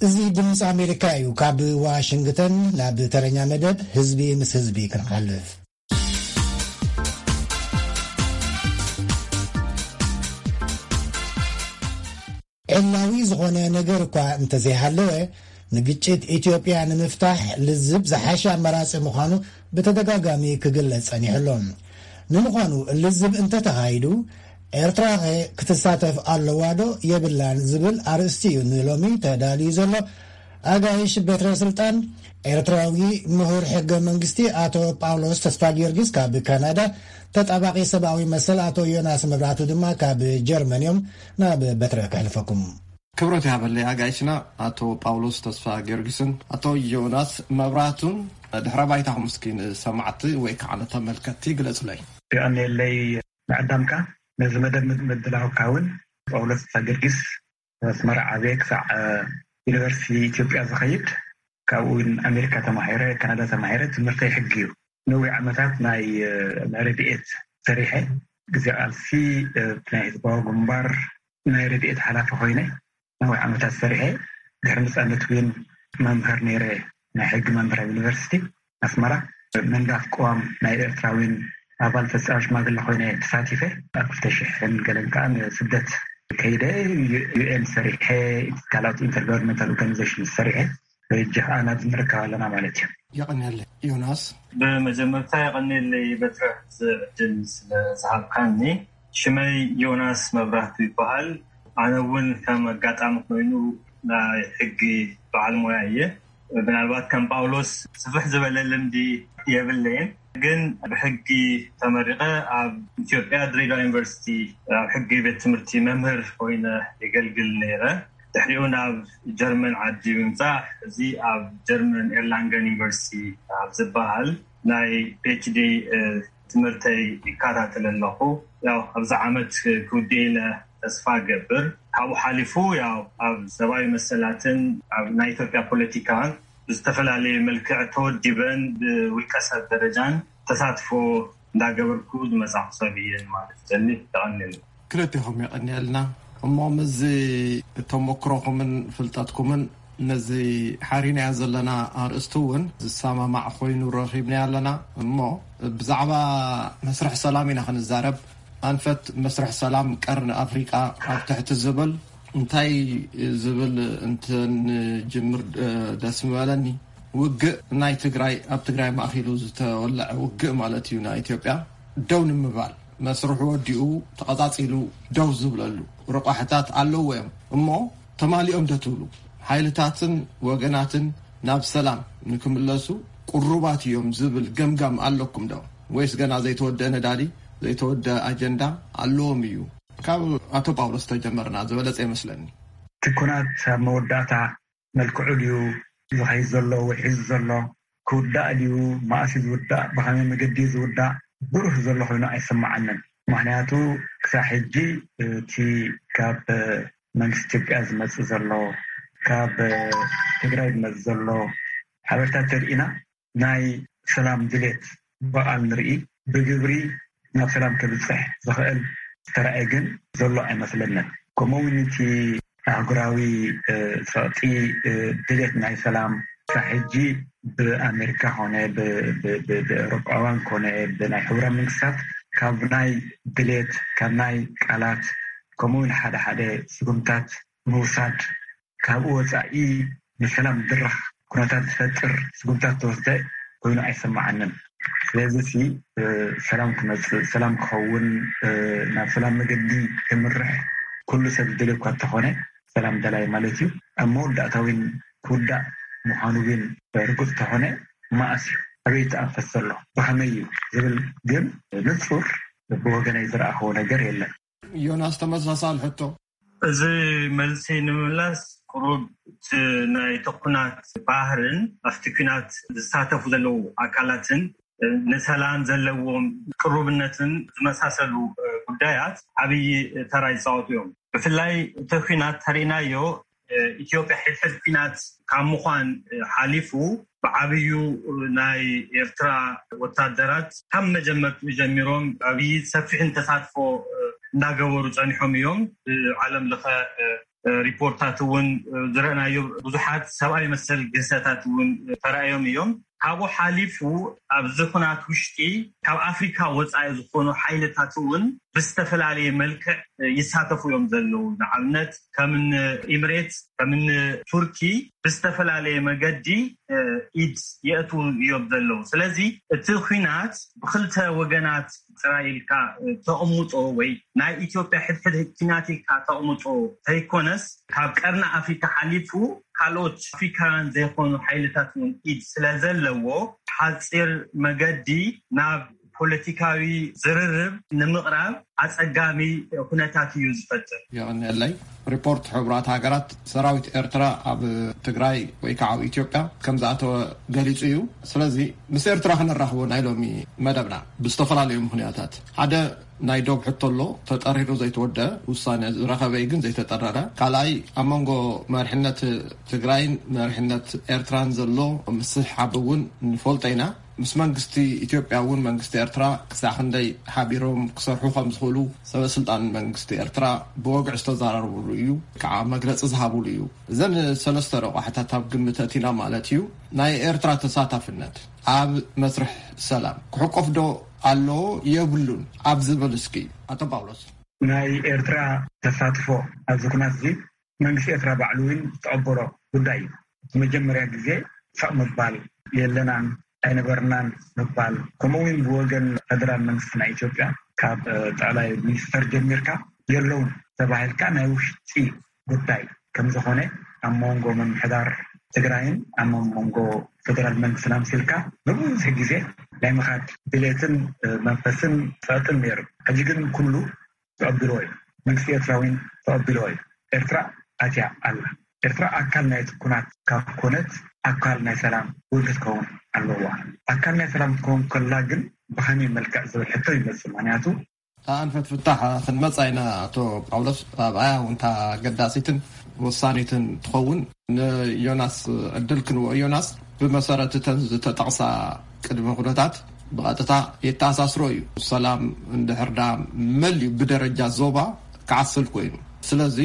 እዚ ድምፂ ኣሜሪካ እዩ። ካብ ዋሽንግተን ናብ ተረኛ መደብ ህዝቢ ምስ ህዝቢ ክንሓልፍ። ዕላዊ ዝኾነ ነገር እኳ እንተዘይሃለወ፣ ንግጭት ኢትዮጵያ ንምፍታሕ ልዝብ ዝሓሸ ኣማራጺ ምዃኑ ብተደጋጋሚ ክግለጽ ጸኒሑ ኣሎ። ንምዃኑ ልዝብ እንተተኻይዱ፣ ኤርትራኸ ክትሳተፍ ኣለዋ ዶ የብላን ዝብል ኣርእስቲ እዩ ንሎሚ ተዳልዩ ዘሎ። ኣጋይሽ ቤትረ ስልጣን ኤርትራዊ ምሁር ሕገ መንግስቲ ኣቶ ጳውሎስ ተስፋ ጊዮርጊስ ካብ ካናዳ፣ ተጣባቂ ሰብኣዊ መሰል ኣቶ ዮናስ መብራቱ ድማ ካብ ጀርመን እዮም። ናብ በትረ ከሕልፈኩም። ክብረት ይሃበለይ ኣጋይሽና ኣቶ ጳውሎስ ተስፋ ጊዮርጊስን ኣቶ ዮናስ መብራቱን። ድሕረ ባይታኹም እስኪ ንሰማዕቲ ወይ ከዓ ንተመልከትቲ ግለጹለይ። የቐንየለይ ንዕዳምካ፣ ነዚ መደብ ምድላውካ እውን። ጳውሎስ ተስፋ ጊዮርጊስ ኣስመራ ዓብየ ክሳዕ ዩኒቨርሲቲ ኢትዮጵያ ዝኸይድ፣ ካብኡ እውን ኣሜሪካ ተማሂረ፣ ካናዳ ተማሂረ። ትምህርተይ ሕጊ እዩ። ነዊሕ ዓመታት ናይ፣ ናይ ረድኤት ሰሪሐ። ግዜ ቃልሲ፣ እ፣ ናይ ህዝባዊ ግንባር ናይ ረድኤት ሓላፊ ኮይነ ነዊሕ ዓመታት ሰሪሐ። ድሕሪ ነጻነት እውን መምህር ነይረ፣ ናይ ሕጊ መምህር ኣብ ዩኒቨርሲቲ ኣስመራ። ምንዳፍ ቅዋም ናይ ኤርትራዊን ኣባል ፈጻሚ ሽማግለ ኮይነ ተሳቲፈ። ኣብ ክልተ ሽሕን ገለን ከዓ ንስደት ከይደ፣ ዩ-፣ ዩ ኤን ሰሪሐ፣ ካልኦት ኢንተርጋቨርንመንታል ኦርጋኒዜሽን ሰሪሐ። ሕጂ ከዓ ናብዚ ንርከብ ኣለና ማለት እዩ። የቐንየለይ ዮናስ። ብመጀመርታ የቐንየለይ በትረ፣ እዚ ዕድል ስለ ዝሃብካኒ። ሽመይ ዮናስ መብራህቱ ይበሃል። ኣነ እውን ከም ኣጋጣሚ ኮይኑ ናይ ሕጊ በዓል ሞያ እየ። ምናልባት ከም ጳውሎስ ስፍሕ ዝበለ ልምዲ የብለይን፣ ግን ብሕጊ ተመሪቐ ኣብ ኢትዮጵያ ድሬዳዋ ዩኒቨርሲቲ ኣብ ሕጊ ቤት ትምህርቲ መምህር ኮይነ የገልግል ነይረ። ድሕሪኡ ናብ ጀርመን ዓዲ ብምጻሕ፣ እዚ ኣብ ጀርመን ኤርላንገን ዩኒቨርሲቲ ኣብ ዝበሃል ናይ ፒኤችዲ ትምህርተይ ይከታተል ኣለኹ። ያው ኣብዚ ዓመት ክውድእ ኢለ ተስፋ እገብር። ካብኡ ሓሊፉ ያው ኣብ ሰብኣዊ መሰላትን ኣብ ናይ ኢትዮጵያ ፖለቲካን ብዝተፈላለየ መልክዕ ተወዲበን ብውልቀ ሰብ ደረጃን ተሳትፎ እንዳገበርኩ ዝመጻኹ ሰብ እየ ማለት ዘኒ። ተቐኒሉ። ክልቴኹም የቐንየልና። እሞ ምስዚ ተሞክሮኹምን ፍልጠትኩምን ነዚ ሓሪናዮ ዘለና ኣርእስቲ እውን ዝሰማማዕ ኮይኑ ረኺብናዮ ኣለና። እሞ ብዛዕባ መስርሕ ሰላም ኢና ክንዛረብ። ኣንፈት መስርሕ ሰላም ቀርኒ ኣፍሪቃ ኣብ ትሕቲ ዝብል እንታይ ዝብል እንትንጅምር ደስ ምበለኒ። ውግእ ናይ ትግራይ፣ ኣብ ትግራይ ማእኪሉ ዝተወለዐ ውግእ ማለት እዩ። ናይ ኢትዮጵያ ደው ንምባል መስርሑ ወዲኡ ተቐጻጺሉ ደው ዝብለሉ ረቋሕታት ኣለዎ እዮም። እሞ ተማሊኦም ዶ ትብሉ? ሓይልታትን ወገናትን ናብ ሰላም ንክምለሱ ቅሩባት እዮም ዝብል ገምጋም ኣለኩም ዶ? ወይስ ገና ዘይተወደአ ነዳዲ፣ ዘይተወደአ ኣጀንዳ ኣለዎም እዩ? ካብ ኣቶ ጳውሎስ ተጀመርና ዝበለጸ ይመስለኒ። እቲ ኩናት ኣብ መወዳእታ መልክዑ ድዩ ዝኸይድ ዘሎ ወይ ሒዙ ዘሎ? ክውዳእ ድዩ? መኣስ እዩ ዝውዳእ? ብኸመይ መገዲ እዩ ዝውዳእ? ብሩህ ዘሎ ኮይኑ ኣይስምዓንን። ምኽንያቱ ክሳብ ሕጂ እቲ ካብ መንግስቲ ኢትዮጵያ ዝመጽእ ዘሎ፣ ካብ ትግራይ ዝመጽእ ዘሎ ሓበሬታ ተርኢና ናይ ሰላም ድሌት ብቓል ንርኢ፣ ብግብሪ ናብ ሰላም ከብጽሕ ዝኽእል ዝተራእየ ግን ዘሎ ኣይመስለንን። ከምኡ እውን እቲ ኣህጉራዊ፣ እ፣ ጸቕጢ፣ እ፣ ድሌት ናይ ሰላም ክሳብ ሕጂ ብኣሜሪካ ኮነ ብ-፣ ብ-፣ ብ-፣ ብኤውሮጳውያን ኮነ ብናይ ሕቡራት መንግስታት ካብ ናይ ድሌት፣ ካብ ናይ ቃላት፣ ከምኡ እውን ሓደ ሓደ ስጉምታት ምውሳድ፣ ካብኡ ወጻኢ ንሰላም ድራሕ ኩነታት ዝፈጥር ስጉምታት ተወስደ ኮይኑ ኣይሰማዓንን። ስለዚ ሲ፣ እ፣ ሰላም ክመጽእ፣ ሰላም ክኸውን፣ እ፣ ናብ ሰላም መገዲ ክምርሕ ኩሉ ሰብ ዝደልዮ እኳ እንተኾነ፣ ሰላም ደላይ ማለት እዩ። ኣብ መወዳእታ እውን ክውዳእ ምዃኑ እውን ርጉጽ እንተኾነ፣ መኣስ እዩ፣ ኣበይ ተኣንፈት ዘሎ፣ ብኸመይ እዩ ዝብል ግን ንጹር ብወገነይ ዝረኣኽዎ ነገር የለን። ዮናስ፣ ተመሳሳሊ ሕቶ። እዚ መልሲ ንምምላስ፣ ቁሩብ እቲ ናይ ኩናት ባህርን ኣብቲ ኩናት ዝሳተፉ ዘለዉ ኣካላትን ንሰላም ዘለዎም ቅሩብነትን ዝመሳሰሉ ጉዳያት ዓብዪ ተራ ይፃወቱ እዮም። ብፍላይ እቲ ኩናት ተሪእናዮ፣ ኢትዮጵያ ሕድሕድ ኩናት ካብ ምዃን ሓሊፉ ብዓብዩ ናይ ኤርትራ ወታደራት ካብ መጀመርትኡ ጀሚሮም ዓብዪ ሰፊሕን ተሳትፎ እንዳገበሩ ጸኒሖም እዮም። ብዓለም ለኸ ሪፖርታት እውን ዝረእናዮ ብዙሓት ሰብኣዊ መሰል ግህሰታት እውን ተራእዮም እዮም። ካብኡ ሓሊፉ ኣብዚ ኩናት ውሽጢ ካብ ኣፍሪካ ወፃኢ ዝኾኑ ሓይልታት እውን ብዝተፈላለየ መልክዕ ይሳተፉ እዮም ዘለዉ። ንኣብነት ከም ኢምሬት፣ ከም ቱርኪ ብዝተፈላለየ መገዲ ኢድ የእትዉ እዮም ዘለዉ። ስለዚ እቲ ኩናት ብክልተ ወገናት ጥራይ ኢልካ ተቕምጦ ወይ ናይ ኢትዮጵያ ሕድሕድ ኩናት ኢልካ ተቕምጦ ተይኮነስ፣ ካብ ቀርኒ ኣፍሪካ ሓሊፉ ካልኦት ኣፍሪካውያን ዘይኮኑ ሓይልታት እውን ኢድ ስለ ዘለዎ፣ ሓፂር መገዲ ናብ ፖለቲካዊ ዝርርብ ንምቕራብ ኣፀጋሚ ኩነታት እዩ ዝፈጥር። የቐንየለይ። ሪፖርት ሕቡራት ሃገራት ሰራዊት ኤርትራ ኣብ ትግራይ ወይ ከዓ ኣብ ኢትዮጵያ ከም ዝኣተወ ገሊጹ እዩ። ስለዚ ምስ ኤርትራ ክነራኽቦ ናይ ሎሚ መደብና ብዝተፈላለዩ ምኽንያታት፣ ሓደ ናይ ዶብ ሕቶ ኣሎ፣ ተጠሪሩ ዘይተወደአ፣ ውሳነ ዝረኸበ ግን ዘይተጠረረ። ካልኣይ፣ ኣብ መንጎ መሪሕነት ትግራይን መሪሕነት ኤርትራን ዘሎ ምስሕሓብ እውን ንፈልጦ ኢና። ምስ መንግስቲ ኢትዮጵያ እውን መንግስቲ ኤርትራ ክሳዕ ክንደይ ሓቢሮም ክሰርሑ ከም ዝኽእሉ ሰበ ስልጣን መንግስቲ ኤርትራ ብወግዒ ዝተዘራረብሉ እዩ፣ ከዓ መግለፂ ዝሃብሉ እዩ። እዘን ሰለስተ ረቋሕታት ኣብ ግምት ኣእቲና ማለት እዩ። ናይ ኤርትራ ተሳታፍነት ኣብ መስርሕ ሰላም ክሕቆፍ ዶ ኣለዎ የብሉን ኣብ ዝብል እስኪ ኣቶ ጳውሎስ። ናይ ኤርትራ ተሳትፎ ኣብዚ ኩናት እዚ መንግስቲ ኤርትራ ባዕሉ እውን ዝተቐበሎ ጉዳይ እዩ። መጀመርያ ግዜ ሰቕ ምባል፣ የለናን ኣይነበርናን ምባል፣ ከምኡ እውን ብወገን ፈደራል መንግስቲ ናይ ኢትዮጵያ ካብ ጠቕላይ ሚኒስተር ጀሚርካ የለውን ተባሂልካ ናይ ውሽጢ ጉዳይ ከም ዝኾነ፣ ኣብ መንጎ ምምሕዳር ትግራይን ኣብ መንጎ ፈደራል መንግስትን ኣምሲልካ ብብዙሕ ግዜ ናይ ምኻድ ድሌትን መንፈስን ጸቕጥን ነይሩ። ሕጂ ግን ኩሉ ተቐቢልዎ እዩ። መንግስቲ ኤርትራ እውን ተቐቢልዎ እዩ። ኤርትራ ኣትያ ኣላ። ኤርትራ ኣካል ናይቲ ኩናት ካብ ኮነት፣ ኣካል ናይ ሰላም እውን ክትከውን ኣለዋ። ኣካል ናይ ሰላም ክትከውን ከላ ግን ብኸመይ መልክዕ ዝብል ሕቶ ይመጽእ። ምኽንያቱ ኣንፈት ፍታሕ ክንመጽእ ኢና። ኣቶ ጳውሎስ፣ ኣብኣያ እውን እታ ኣገዳሲትን ወሳኒትን ትኸውን። ንዮናስ ዕድል ክንወ ዮናስ፣ ብመሰረት እተን ዝተጠቕሳ ቅድመ ኩነታት ብቐጥታ የተኣሳስሮ እዩ። ሰላም እንድሕር ዳ መሊኡ ብደረጃ ዞባ ክዓስል ኮይኑ፣ ስለዚ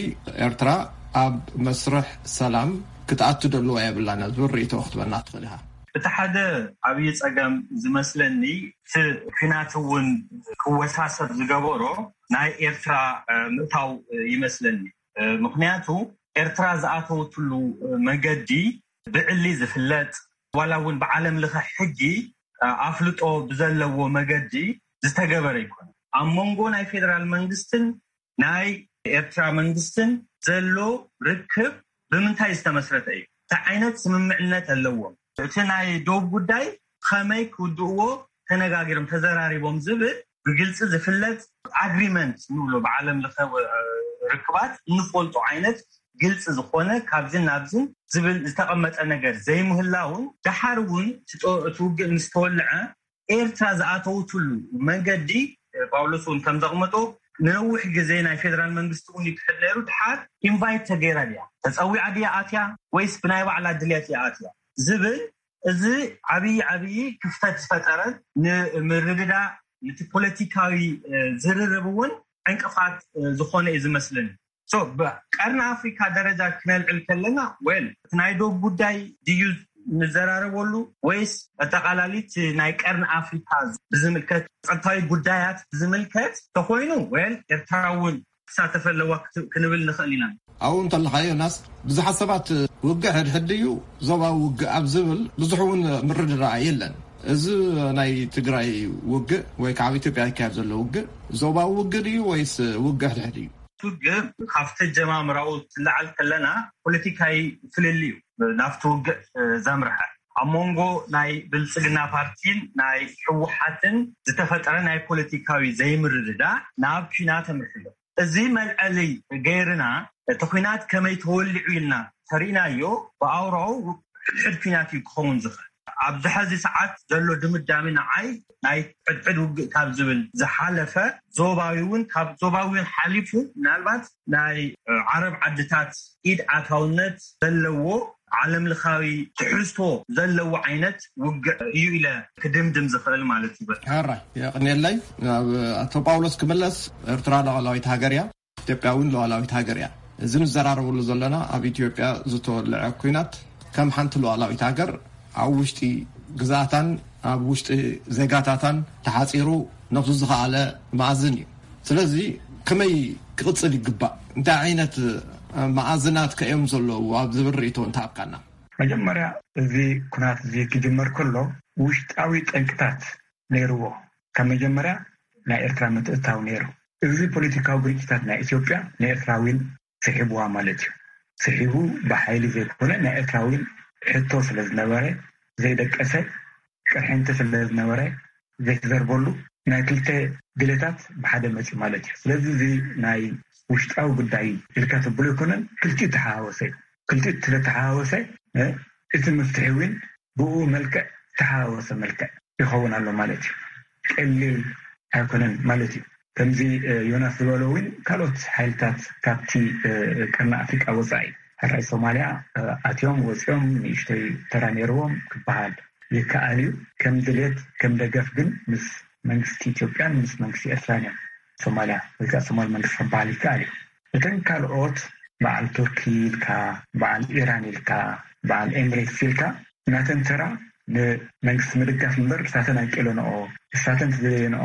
ኤርትራ ኣብ መስርሕ ሰላም ክትኣቱ ደለዋ የብላን ዝብል ርእይቶ ክትበና ትኽእል ኢኻ። እቲ ሓደ ዓብዪ ጸገም ዝመስለኒ፣ እቲ ኲናት እውን ክወሳሰብ ዝገበሮ ናይ ኤርትራ ምእታው ይመስለኒ። ምኽንያቱ፣ ኤርትራ ዝኣተወትሉ መገዲ ብዕሊ ዝፍለጥ፣ ዋላ እውን ብዓለም ለኸ ሕጊ ኣፍልጦ ብዘለዎ መገዲ ዝተገበረ ይኮነ። ኣብ መንጎ ናይ ፌደራል መንግስትን ናይ ኤርትራ መንግስትን ዘሎ ርክብ ብምንታይ ዝተመስረተ እዩ? እንታይ ዓይነት ስምምዕነት ኣለዎም? እቲ ናይ ዶብ ጉዳይ ከመይ ክውድእዎ ተነጋጊሮም፣ ተዘራሪቦም ዝብል ብግልፂ ዝፍለጥ ኣግሪመንት ንብሎ፣ ብዓለም ለኸ ርክባት እንፈልጦ ዓይነት ግልፂ ዝኾነ ካብዝን ናብዝን ዝብል ዝተቐመጠ ነገር ዘይምህላውን፣ ደሓር እውን እቲ ውግእ ምስ ተወልዐ ኤርትራ ዝኣተውትሉ መንገዲ፣ ጳውሎስ እውን ከም ዘቕመጦ፣ ንነዊሕ ግዜ ናይ ፌደራል መንግስቲ እውን ይክሕድ ነይሩ። ድሓር ኢንቫይት ተገይራ ድያ፣ ተፀዊዓ ድያ ኣትያ፣ ወይስ ብናይ ባዕላ ድልየት እያ ኣትያ ዝብል፣ እዚ ዓብዪ ዓብዪ ክፍተት ዝፈጠረን ንምርድዳእ፣ ነቲ ፖለቲካዊ ዝርርብ እውን ዕንቅፋት ዝኾነ እዩ ዝመስለኒ። ቀርኒ ኣፍሪካ ደረጃ ክነልዕል ከለና፣ ወል እቲ ናይ ዶብ ጉዳይ ድዩ ንዘራረበሉ፣ ወይስ ኣጠቃላሊት ናይ ቀርኒ ኣፍሪካ ብዝምልከት፣ ጸጥታዊ ጉዳያት ብዝምልከት ተኮይኑ፣ ወል ኤርትራ እውን ክሳተፈ ኣለዋ ክንብል ንኽእል ኢና። ኣብኡ እንተለካ ዮናስ፣ ብዙሓት ሰባት ውግእ ሕድሕድ እዩ፣ ዞባዊ ውግእ ኣብ ዝብል ብዙሕ እውን ምርድዳእ የለን። እዚ ናይ ትግራይ ውግእ ወይ ከዓ ኣብ ኢትዮጵያ ይካየድ ዘሎ ውግእ ዞባዊ ውግእ ድዩ ወይስ ውግእ ሕድሕድ እዩ? ውግእ ካብቲ ኣጀማምራኡ ትለዓል ከለና ፖለቲካዊ ፍልልይ እዩ ናብቲ ውግእ ዘምርሐ። ኣብ መንጎ ናይ ብልፅግና ፓርቲን ናይ ህወሓትን ዝተፈጠረ ናይ ፖለቲካዊ ዘይምርድዳእ ናብ ኲናት ኣምርሑ ኣሎ። እዚ መልዐሊ ገይርና፣ እቲ ኲናት ከመይ ተወሊዑ ኢልና ተሪእናዮ፣ ብኣውራኡ ሕድሕድ ኲናት እዩ ክኸውን ዝኽእል። ኣብዚ ሐዚ ሰዓት ዘሎ ድምዳሜ ንዓይ ናይ ሕድሕድ ውግእ ካብ ዝብል ዝሓለፈ፣ ዞባዊ እውን፣ ካብ ዞባዊ እውን ሓሊፉ፣ ምናልባት ናይ ዓረብ ዓድታት ኢድ ኣታውነት ዘለዎ፣ ዓለም ለኻዊ ትሕዝቶ ዘለዎ ዓይነት ውግእ እዩ ኢለ ክድምድም ዝኽእል ማለት እዩ። ሕራይ የቕንየለይ። ናብ ኣቶ ጳውሎስ ክምለስ፣ ኤርትራ ሉዓላዊት ሃገር እያ፣ ኢትዮጵያ እውን ሉዓላዊት ሃገር እያ። እዚ ንዘራረበሉ ዘለና ኣብ ኢትዮጵያ ዝተወልዐ ኲናት ከም ሓንቲ ሉዓላዊት ሃገር ኣብ ውሽጢ ግዝኣታን ኣብ ውሽጢ ዜጋታታን ተሓፂሩ ነብሱ ዝኸኣለ መኣዝን እዩ። ስለዚ ከመይ ክቕፅል ይግባእ? እንታይ ዓይነት መኣዝናት ከ እዮም ዘለዉ ኣብ ዝብል ርእይቶ እንተሃብካና? መጀመርያ እዚ ኩናት እዚ ክጅመር ከሎ ውሽጣዊ ጠንቅታት ነይርዎ። ካብ መጀመርያ ናይ ኤርትራ ምትእታው ነይሩ። እዚ ፖለቲካዊ ግርጭታት ናይ ኢትዮጵያ ንኤርትራ እውን ስሒብዋ ማለት እዩ። ስሒቡ ብሓይሊ ዘይኮነ ናይ ኤርትራ እውን ሕቶ ስለ ዝነበረ ዘይደቀሰ ቅርሕንቲ ስለ ዝነበረ ዘይተዘርበሉ ናይ ክልተ ድሌታት ብሓደ መፂኡ ማለት እዩ። ስለዚ እዚ ናይ ውሽጣዊ ጉዳይ ኢልካ ተብሎ ኣይኮነን፣ ክልቲኡ ተሓዋወሰ እዩ። ክልቲኡ ስለተሓዋወሰ እ፣ እቲ መፍትሒ እውን ብኡ መልክዕ ተሓዋወሰ መልክዕ ይኸውን ኣሎ ማለት እዩ። ቀሊል ኣይኮነን ማለት እዩ። ከምዚ እ፣ ዮናስ ዝበሎ እውን ካልኦት ሓይልታት ካብቲ እ፣ ቀርኒ ኣፍሪቃ ወፃኢ ሕራይ ሶማልያ እ፣ ኣትዮም ወፂኦም ንእሽተይ ተራ ነይርዎም ክበሃል ይከኣል እዩ። ከም ድሌት ከም ደገፍ ግን ምስ መንግስቲ ኢትዮጵያን ምስ መንግስቲ ኤርትራን እዮም ሶማልያ ወይ ከዓ ሶማል መንግስቲ ክበሃል ይከኣል እዩ። እተን ካልኦት በዓል ቱርኪ ኢልካ፣ በዓል ኢራን ኢልካ፣ በዓል ኤምሬትስ ኢልካ ናተን ተራ ንመንግስቲ ምድጋፍ እምበር ንሳተን ኣይቀለንኦ፣ ንሳተን ተዘየንኦ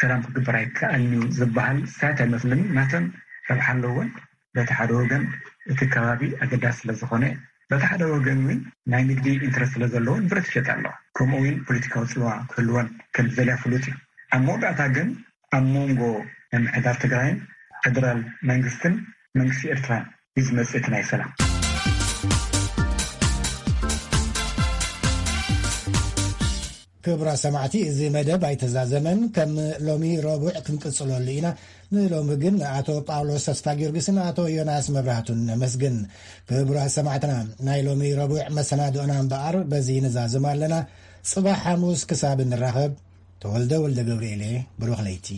ሰላም ክግበር ኣይከኣልን እዩ ዝበሃል ሳይት ኣይመስልን። ናተን ረብሓ ኣለወን። በቲ ሓደ ወገን እቲ ከባቢ ኣገዳሲ ስለ ዝኾነ፣ በቲ ሓደ ወገን እውን ናይ ንግዲ ኢንትረስት ስለ ዘለወን ብረት ይሸጣ ኣለዋ። ከምኡ እውን ፖለቲካዊ ፅልዋ ክህልወን ከም ዝደልያ ፍሉጥ እዩ። ኣብ መወዳእታ ግን ኣብ መንጎ ምምሕዳር ትግራይን ፌደራል መንግስትን መንግስቲ ኤርትራን እዩ ዝመፅእ እቲ ናይ ሰላም። ክቡራት ሰማዕቲ፣ እዚ መደብ ኣይተዛዘመን። ከም ሎሚ ረቡዕ ክንቅጽለሉ ኢና። ንሎሚ ግን ንኣቶ ጳውሎስ ተስፋ ጊዮርጊስን ኣቶ ዮናስ መብራህቱን ነመስግን። ክቡራት ሰማዕትና፣ ናይ ሎሚ ረቡዕ መሰናድኦና እምበኣር በዚ ንዛዝም ኣለና። ጽባሕ ሓሙስ ክሳብ እንራኸብ፣ ተወልደ ወልደ ገብርኤል እየ። ብሩኽ ለይቲ።